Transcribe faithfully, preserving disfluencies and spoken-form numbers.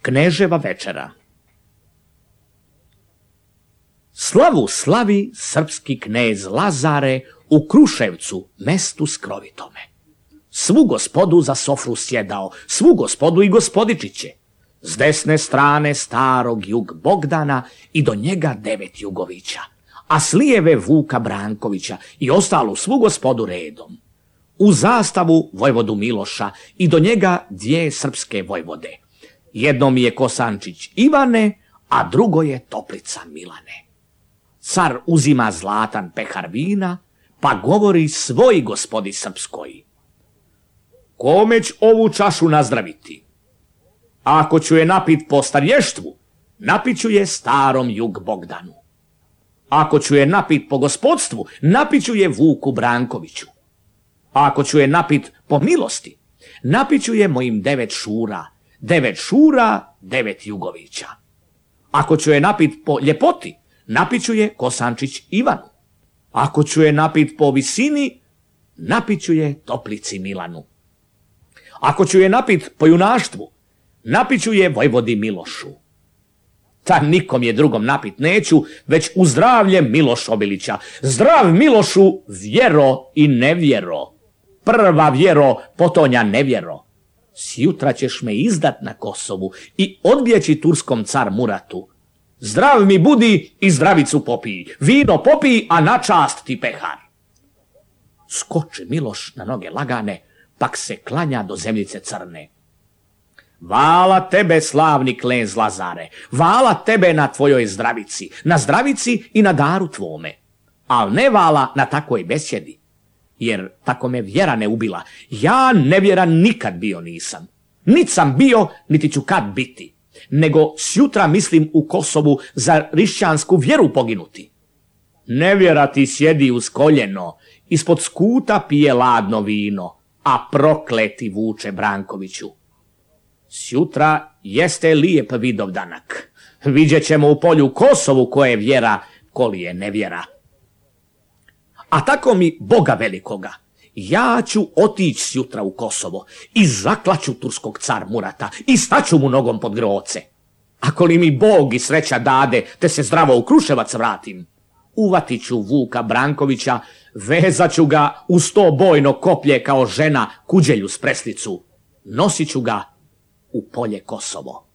Kneževa večera. Slavu slavi srpski knez Lazare u Kruševcu, mestu skrovitome. Svu gospodu za sofru sjedao, svu gospodu i gospodičiće. S desne strane starog jug Bogdana i do njega devet jugovića, a s lijeve Vuka Brankovića i ostalu svu gospodu redom. U zastavu vojvodu Miloša i do njega dvije srpske vojvode. Jedno mi je Kosančić Ivane, a drugo je Toplica Milane. Car uzima zlatan pehar vina, pa govori svoj gospodi srpskoj: kome ću ovu čašu nazdraviti? Ako ću je napit po starještvu, napit ću je starom jug Bogdanu. Ako ću je napit po gospodstvu, napit ću je Vuku Brankoviću. Ako ću je napit po milosti, napit ću je mojim devet šura, devet šura, devet jugovića. Ako ću je napit po ljepoti, napit ću je Kosančić Ivanu. Ako ću je napit po visini, napit ću je Toplici Milanu. Ako ću je napit po junaštvu, napit ću je vojvodi Milošu. Ta nikom je drugom napit neću, već u zdravlje Miloš Obilića. Zdrav Milošu, vjero i nevjero. Prva vjero, potonja nevjero. Sjutra ćeš me izdat na Kosovu i odbjeći turskom car Muratu. Zdrav mi budi i zdravicu popij, vino popij, a na čast ti pehar. Skoči Miloš na noge lagane, pak se klanja do zemljice crne. Vala tebe, slavni knez Lazare, vala tebe na tvojoj zdravici, na zdravici i na daru tvome, al ne vala na takoj besjedi, jer tako me vjera ne ubila, ja nevjeran nikad bio nisam, nit sam bio, niti ću kad biti, nego sjutra mislim u Kosovu za hrišćansku vjeru poginuti. Nevjera ti sjedi uz koljeno, ispod skuta pije ladno vino, a prokleti Vuče Brankoviću. Sjutra jeste lijep Vidovdanak. Vidjet ćemo u polju Kosovu ko je vjera, koli je nevjera. A tako mi Boga velikoga, ja ću otići sjutra u Kosovo i zaklaću turskog car Murata i staću mu nogom pod groce. Ako li mi Bog i sreća dade, te se zdravo u Kruševac vratim, uvatit ću Vuka Brankovića, vezat ću ga u sto bojno koplje kao žena kuđelju s preslicu, nosit ću ga u polje Kosovo.